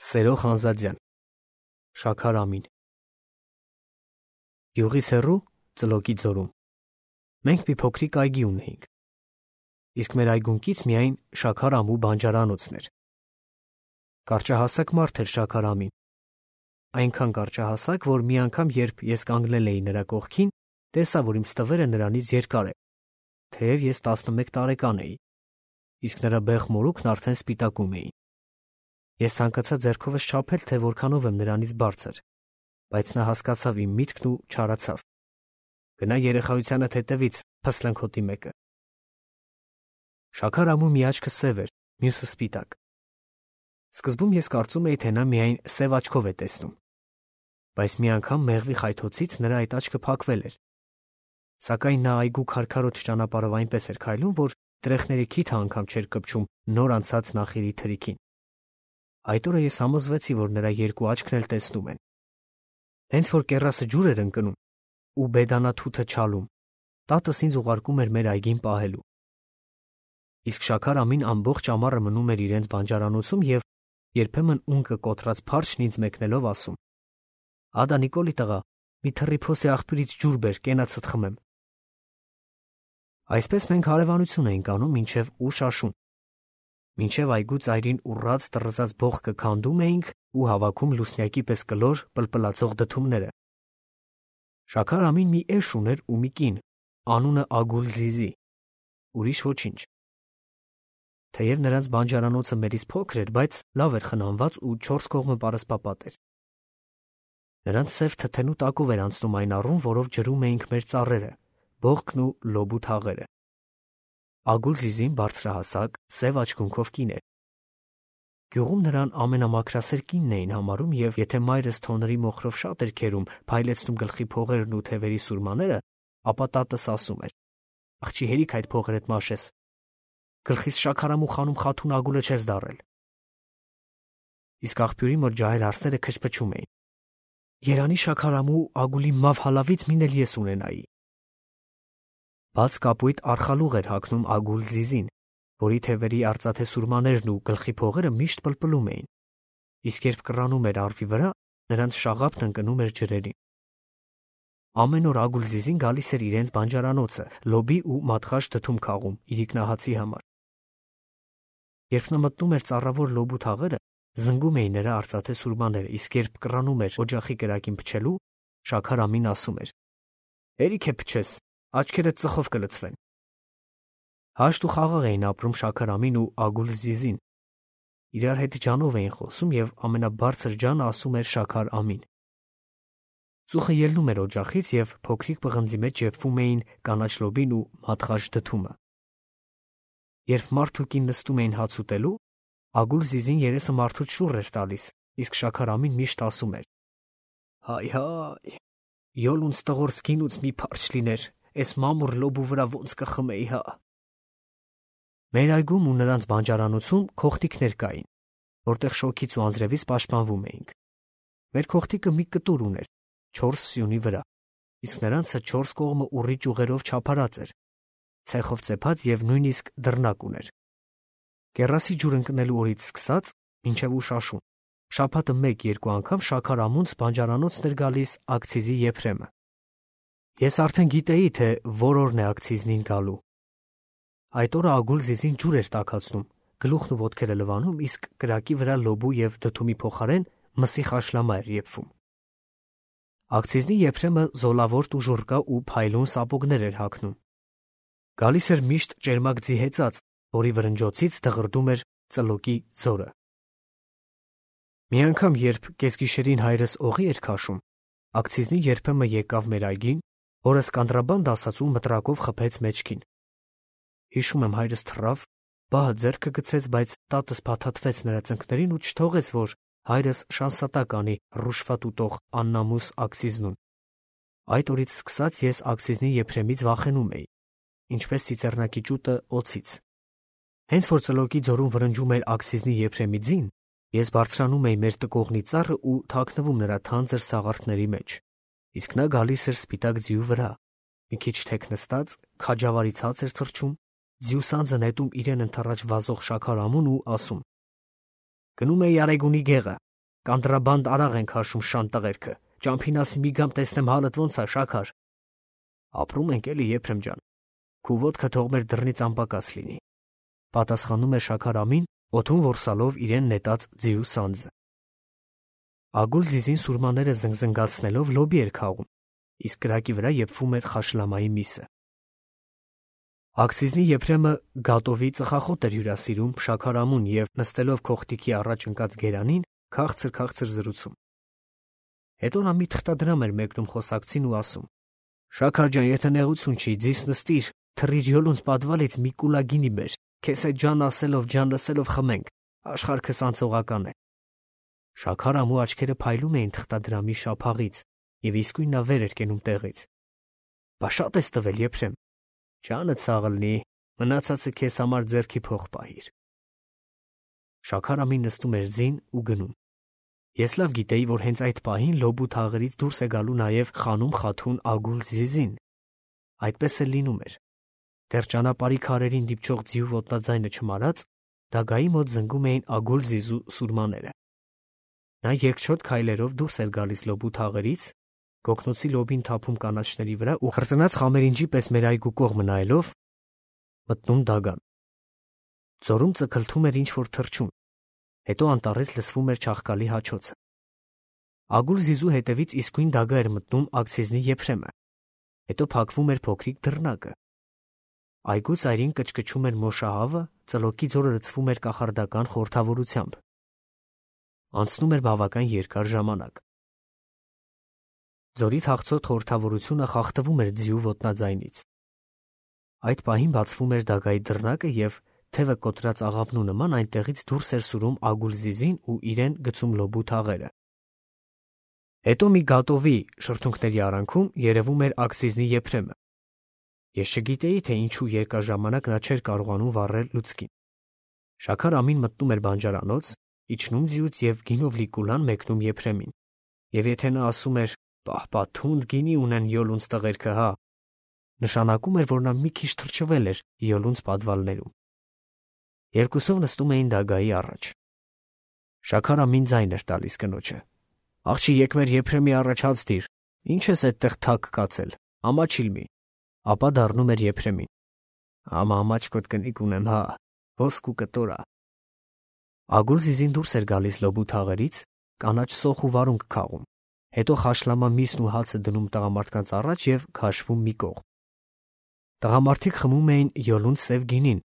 Սերո Խանզադյան, Շաքար Ամին։ Գյուղից հեռու Ծլոկի ձորում մենք մի փոքրիկ այգի ունեինք, իսկ մեր այգունքից միայն Շաքար ամու բանջարանոցն էր։ Կարճահասակ մարդ էր Շաքար Ամին, այնքան կարճահասակ, որ մի անգամ, երբ ես կանգնել էի նրա կողքին, տեսա, որ իմ ստվերը նրանից երկար է, թեև ես 11 տարեկան էի, իսկ նրա բեղ մորուքն արդեն սպիտակում էին։ Ես ցանկացա ձեռքովս չափել, թե որքանով եմ նրանից բարձր, բայց նա հասկացավ իմ միտքն ու չարացավ։ Գնա երեխայությանդ հետևից, փսլնքոտի մեկը։ Շաքար ամու մի աչքը սև էր, մյուսը սպիտակ։ Սկզբում ես կարծում էի, թե նա միայն սև աչքով է տեսնում, բայց մի անգամ մեղվի խայթոցից նրա այդ աչքը փակվել էր։ Սակայն նա այգու քարքարոտ ճանապարհով այնպես էր քայլում, որ տրեխների քիթը անգամ չէր կպչում նոր անցած նախիրի թրիքին։ Այդ օրը ես համոզվեցի, որ նրա երկու աչքն էլ տեսնում են։ Հենց որ կեռասը ջուր էր ընկնում ու բեդանաթութը չալում, տատս ինձ ուղարկում էր մեր այգին պահելու։ Իսկ Շաքար ամին ամբողջ ամառը մնում էր իրենց բանջարանոցում եւ երբեմն ունկը կոտրած փարչն ինձ մեկնելով ասում. «Ադա Նիկոլի տղա, մի թռիփոսի աղբյուրից ջուր բեր, կենացդ խմեմ»։ Այսպես մենք հարևանություն էինք անում մինչև ուշ աշուն։ Մինչև այգու ծայրին ուռած տռզած բողկը քանդում էինք ու հավաքում լուսնյակի պես կլոր պլպլացող դդումները։ Շաքար ամին մի էշ ուներ ու մի կին, անունը Ագուլ Զիզի, ուրիշ ոչինչ։ Թեև նրանց բանջարանոցը մերից փոքր էր, բայց լավ էր խնամված ու 4 կողմը պարսպապատ էր։ Նրանց սև թթենու տակով էր անցնում այն առուն, որով ջրում էինք մեր ծառերը, բողկն ու լոբու թաղերը։ Ագուլ Զիզին բարձրահասակ, սև աչքունքով կին էր։ Գյուղում նրան ամենամաքրասեր կինն էին համարում, եւ եթե մայրս թոնրի մոխրով շատ էր քերում, փայլեցնում գլխի փողերն ու թևերի սուրմաները, ապա տատս ասում էր. «Աղջի հերիք այդ փողերդ մաշես, գլխիս շաքարամու խանում խաթուն ագուլը չես դարել»։ Իսկ աղբյուրի մոտ ջահել արսները քչփչում էին. «Երանի շաքարամու ագուլի մավ հալավից մին էլ ես ունենայի»։ Բաց կապույտ արխալուղ էր հագնում Ագուլ Զիզին, որի թևերի արծաթե սուրմաներն ու գլխի փողերը միշտ պլպլում էին, իսկ երբ կռանում էր արվի վրա, նրանց շաղապն ընկնում էր ջրերին։ Ամեն օր Ագուլ Զիզին գալիս էր իրենց բանջարանոցը, լոբի ու մատղաշ դդում քաղում իրիկնահացի համար։ Երբ նա մտնում էր ծառավոր լոբու թաղերը, զնգում էին նրա արծաթե սուրմաները, իսկ երբ կռանում էր օջախի կրակին փչելու, Շաքար ամին ասում էր. «Հերիք է փչես, աչքերդ ծխով կլցվեն»։ Հաշտ ու խաղաղ էին ապրում Շաքար ամին ու Ագուլ Զիզին։ Իրար հետ ջանով էին խոսում եւ ամենաբարձր ջանը ասում էր Շաքար ամին։ Ծուխը ելնում էր օջախից եւ փոքրիկ պղնձի մեջ ջեպվում էին կանաչ լոբին ու մատղաշ դդումը։ Երբ մարդ ու կին նստում էին հաց ուտելու, Ագուլ Զիզին երեսը մարդուց շուռ էր տալիս, իսկ Շաքար ամին միշտ ասում էր. «Հայ, յոլուն ստղոր սկինուց մի փարչ լիներ, էս մամուռ լոբու վրա ոնց կխմեի, հա»։ Մեր այգում ու նրանց բանջարանոցում քոխտիկներ կային, որտեղ շոգից ու անձրևից պաշտպանվում էինք։ Մեր քոխտիկը մի կտուր ուներ 4 սյունի վրա, իսկ նրանցը 4 կողմը ուռի ճյուղերով չափարած էր, ցեխով ծեփած եւ նույնիսկ դռնակ ուներ։ Կեռասի ջուր ընկնելու օրից սկսած մինչև ուշ աշուն, շաբաթը 1-2 անգամ Շաքար ամունց բանջարանոցն էր գալիս ակցիզի եփրեմը։ Ես արդեն գիտեի, թե որ օրն է ակցիզնին գալու։ Այդ օրը Ագուլ Զիզին ջուր էր տաքացնում, գլուխն ու ոտքերը լվանում, իսկ կրակի վրա լոբու եւ դդումի փոխարեն մսի խաշլամա էր եփվում։ Ակցիզնի եփրեմը զոլավորտ ու ժուրկա ու փայլուն սապոգներ էր հագնում։ Գալիս էր միշտ ճերմակ ձի հեծած, որի վրնջոցից դղրդում էր Ծլոկի ձորը։ Մի անգամ, երբ կեսգիշերին հայրս օղի էր քաշում, ակցիզնի երբեմն եկավ մեր այգին, որը սկանդրաբանդ ասած ու մտրակով խփեց մեջքին։ Հիշում եմ, հայրս թռավ, բահը ձեռքը գցեց, բայց տատս փաթաթվեց նրա ծնկներին ու չթողեց, որ հայրս շանսատակ անի ռուշվատ ուտող աննամուս ակցիզնուն։ Այդ օրից սկսած ես ակցիզնի եփրեմից վախենում էի, ինչպես ծիծեռնակի ճուտը օձից։ Հենց որ Ծլոկի ձորում վրնջում էր ակցիզնի եփրեմի ձին, ես բարձրանում էի մեր տկողնի ծառը ու թաքնվում նրա թանձր սաղարթների մեջ, իսկ նա գալիս էր սպիտակ ձիու վրա, մի քիչ թեք նստած, քաջավարի ցած էր թռչում, ձիու սանձը նետում իրեն ընդառաջ վազող Շաքար ամուն ու ասում. «Գնում էի Արեգունի գեղը, Կանտրաբանդ արաղ ենք հաշում շան տղերքը, ճամփին ասի մի գամ տեսնեմ հալդ ոնց է, Շաքար։ Ապրում ենք էլի, Եփրեմ ջան, քու ոտքը թող մեր դռնից անպակաս լինի, պատասխանում էր Շաքար ամին, օդում որսալով իրեն նետած ձիու սանձը։ Ագուլ Զիզին սուրմաները զնգզնգացնելով լոբի էր քաղում, իսկ կրակի վրա եփվում էր խաշլամայի միսը։ Աքսիզնի Եփրեմը գատովի ծխախոտ էր հյուրասիրում Շաքար ամուն եւ նստելով քոխտիկի առաջ ընկած գերանին, քաղցր զրուցում։ Հետո նա մի թղթադրամ էր մեկնում խոսակցին ու ասում. Շաքար ջան, եթե նեղություն չի, ձիս նստիր, թռիր յոլունց պատվալից մի կուլա գինի բեր, քեզ այդ ջան ասելով, ջան լսելով խմենք, աշխարհքս անցողական է։ Շաքար ամու աչքերը փայլում էին թղթադրամի շափաղից եւ իսկույն նա վեր էր կենում տեղից։ Բա շատ ես տվել, Եփրեմ։ Ջանը ցաղլնի, մնացածը քեզ համար ձեռքի փող պահիր։ Շաքար ամին նստում էր զին ու գնում։ Ես լավ գիտեի, որ հենց այդ պահին լոբու թաղերից դուրս է գալու նաև խանում խաթուն Ագուլ Զիզին։ Այդպես էլ լինում էր։ Դեռ ճանապարհի քարերին դիպչող ձիու ոտնաձայնը չմարած, դագայի մոտ զնգում էին Ագուլ Զիզու սուրմաները։ Նա երկչոտ քայլերով դուրս էր գալիս լոբու թաղերից, գոգնոցի լոբին թափում կանաչների վրա ու խրտնած խամերինջի պես մեր այգու կողմը նայելով մտնում դագան։ Ձորում ծքլթում էր ինչ-որ թռչուն, հետո անտառից լսվում էր չաղկալի հաչոցը։ Ագուլ Զիզու հետևից իսկույն դագա էր մտնում Աքսիզնի Եփրեմը, հետո փակվում էր փոքրիկ դռնակը։ Այգու ծայրին կչկչում էր մոշահավը, ծլոկի ձորը լցվում էր կախարդական խորհրդավորությամբ։ Անցնում էր բավական երկար ժամանակ։ Ձորի թախծոտ խորհրդավորությունը խախտվում էր ձիու ոտնաձայնից։ Այդ պահին բացվում էր դագայի դռնակը եւ թևը կոտրած աղավնու նման այնտեղից դուրս էր սուրում Ագուլ Զիզին ու իրեն գցում լոբու թաղերը։ Հետո մի գատովի շրթունքների արանքում երևում էր Աքսիզնի Եփրեմը։ Ես չգիտեի, թե ինչու երկար ժամանակ նա չէր կարողանում վառել լուցկին։ Շաքար ամին մտնում էր բանջարանոց, իջնում ձիուց եւ գինով լի կուլան մեկնում Եփրեմին։ Եվ եթե նա ասում էր «Պահ, թունդ գինի ունեն յոլունց տղերքը, հա», նշանակում էր, որ նա մի քիչ թրջվել էր յոլունց պատվալներում։ Երկուսով նստում էին դագայի առաջ։ Շաքար ամին ձայն էր տալիս կնոջը։ Աղջի եկ մեր Եփրեմի առաջ հաց դիր, ինչ ես այդտեղ թակ կացել, ամաչիլ մի։ Ապա դառնում էր Եփրեմին։ Ամա ամաչկոտ կնիկ ունեմ, հա, ոսկու կտորա։ Ագուլ Զիզին դուրս էր գալիս լոբու թաղերից, կանաչ սոխ ու վարունգ քաղում, հետո խաշլամա միսն ու հացը դնում տղամարդկանց առաջ եւ քաշվում մի կողմ։ Տղամարդիկ խմում էին յոլունց սև գինին,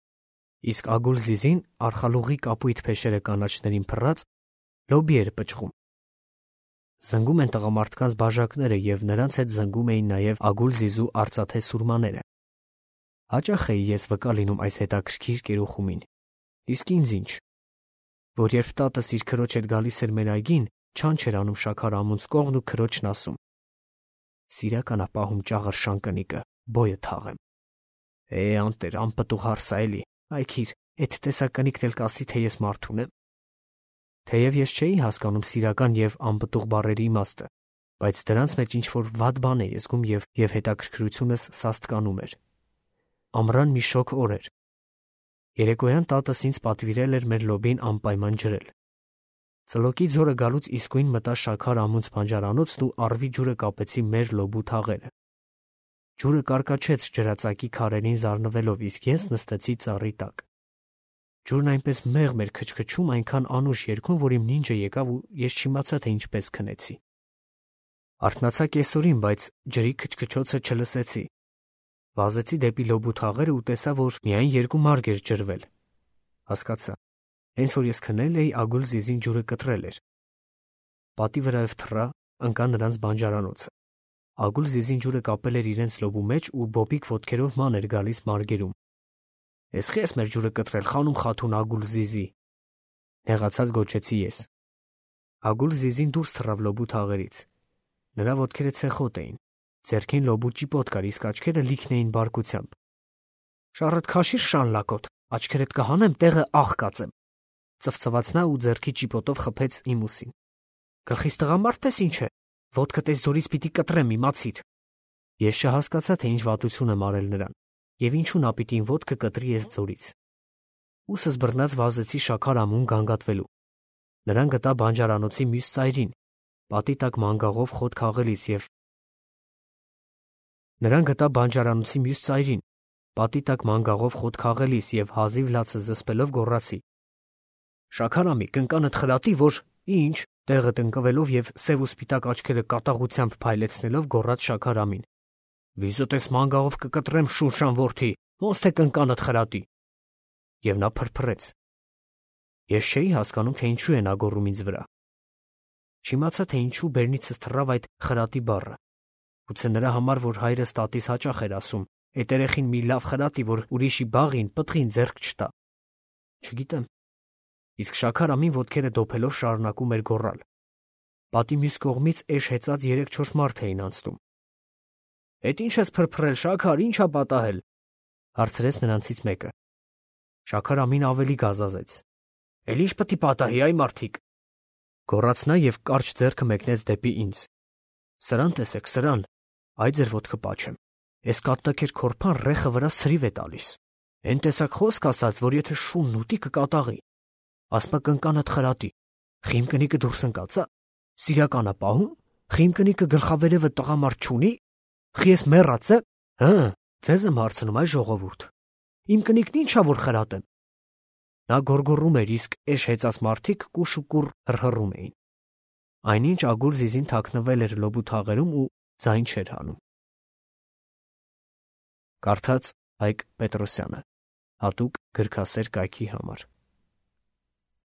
իսկ Ագուլ Զիզին արխալուղի կապույտ փեշերը կանաչներին փռած լոբի էր պճղում։ Զնգում են տղամարդկանց բաժակները եւ նրանց հետ զնգում էին նաեւ Ագուլ Զիզու արծաթե սուրմաները։ Հաճախ էի ես վկա լինում այս հետաքրքիր կերոխումին, իսկ ինձ ինչ, որ երբ տատս իր քրոջ հետ գալիս էր մեր այգին, չան չէր անում Շաքար ամունց կողն ու քրոջն ասում. Սիրականա պահում ճաղր շանկնիկը, բոյը թաղեմ։ Անտեր, անպտուղ հարսա էլի, այքիր, այդ տեսակնիկն էլ կասի, թե ես մարդ ունեմ։ Թեև ես չէի հասկանում սիրական եւ անպտուղ բառերի իմաստը, բայց դրանց մեջ ինչ-որ վատ բան էի զգում եւ հետաքրքրությունս սաստկանում էր։ Ամռան մի շոգ օր էր։ Երեկոյան տատս ինձ պատվիրել էր մեր լոբին անպայման ջրել։ Ծլոկի ձորը գալուց իսկույն մտա Շաքար ամունց բանջարանոցն ու առվի ջուրը կապեցի մեր լոբու թաղերը։ Ջուրը կարկաչեց ջրածակի քարերին զառնվելով, իսկ ես նստեցի ծառի տակ։ Ջուրն այնպես մեղմ էր քչքչում, այնքան անուշ երգում, որ իմ նինջը եկավ ու ես չիմացա, թե ինչպես քնեցի։ Արթնացա կեսօրին, բայց ջրի քչքչոցը չլսեցի։ Վազեցի դեպի լոբու թաղերը ու տեսա, որ միայն երկու մարկ էր ջրվել։ Հասկացա։ Հենց որ ես քնել էի, Ագուլ Զիզին ջուրը կտրել էր։ Պատի վրայով թռա, ընկա նրանց բանջարանոցը։ Ագուլ Զիզին ջուրը կապել էր իրենց լոբու մեջ ու բոբիկ ոտքերով ման էր գալիս մարգերում։ Ես խես մեր ջուրը կտրել, խանում խաթուն Ագուլ Զիզի։ Նեղացած գոչեցի ես։ Ագուլ Զիզին դուրս թռավ լոբու թաղերից։ Նրա ոտքերը ցեխոտ էին, ձեռքին լոբու ճիպոտ կար, իսկ աչքերը լիքն էին բարկությամբ։ Շառդ քաշիր շան լակոտ, աչքերդ կհանեմ, տեղը աղ կածեմ։ Ծվծված նա ու ձեռքի ճիպոտով խփեց իմ ուսին։ Գլխիս տղամարդ ես ինչ է, ոտքդ էս ձորից պիտի կտրեմ, իմացիր։ Ես չհասկացա, թե ինչ վատություն եմ արել նրան, եւ ինչու նա պիտի իմ ոտքը կտրի էս ձորից։ Ուսս բռնած վազեցի Շաքար ամուն գանգատվելու։ Նրան գտա բանջարանոցի մյուս ծայրին, պատի տակ մանգաղով խոտ քաղելիս և հազիվ լացը զսպելով գոռացի. «Շաքարամի, կնկանդ խրատի, որ…» «Ինչ», տեղը տնկվելով և սև ու սպիտակ աչքերը կատաղությամբ փայլեցնելով գոռաց Շաքարամին. «Վիզուտես մանգաղով կկտրեմ, շունշան որդի, ոնց թե կնկանդ խրատի»։ Եվ նա փրփրեց։ Ես չէի հասկանում, թե ինչու է նա գոռում ինձ վրա։ Չիմացա, թե ինչու բերնիցս թռավ այդ խրատի բառը։ Գուցե նրա համար, որ հայրս տատիս հաճախ էր ասում. «Էդ երեխին մի լավ խրատի, որ ուրիշի բաղին, պտղին ձեռք չտա»։ Չգիտեմ։ Իսկ Շաքարամին ոտքերը դոփելով շարունակում էր գոռալ։ Պատի մյուս կողմից էշ հեծած 3-4 մարդ էին անցնում։ «Էդ ինչ ես փրփրել, Շաքար, ի՞նչ ա պատահել», հարցրեց նրանցից մեկը։ Շաքարամին ավելի գազազեց։ «Էլ ի՞նչ պիտի պատահի, այ մարդիկ», գոռաց նա և կարճ ձեռքը մեկնեց դեպի ինձ։ «Սրան տեսեք, սրան, այ ձեր ոտքը պաչեմ։ Էս կատնաքեր քորփան ռեխը վրա սրիվ է տալիս։ Էն տեսակ խոսք ասաց, որ եթե շունն ուտի կկատաղի։ Ասմա կնկանդ խրատի։ Խիմ կնիկը դուրս ընկածա։ Սիրականա պահում։ Խիմ կնիկը գլխավերևը տղամարդ չունի։ Խի ես մեռած է։ Հը, ձեզ եմ հարցնում, այ ժողովուրդ։ Իմ կնիկն ի՞նչ ա որ խրատեմ»։ Նա գոռգոռում էր, իսկ էշ հեծած մարդիկ կուշ ու կուռ հռհռում էին։ Այնինչ Ագուլ Զիզին թաքնվել էր լոբու թաղերում ու ձայն չէր հանում։ Կարդաց Հայկ Պետրոսյանը, հատուկ գրքասեր կայքի համար։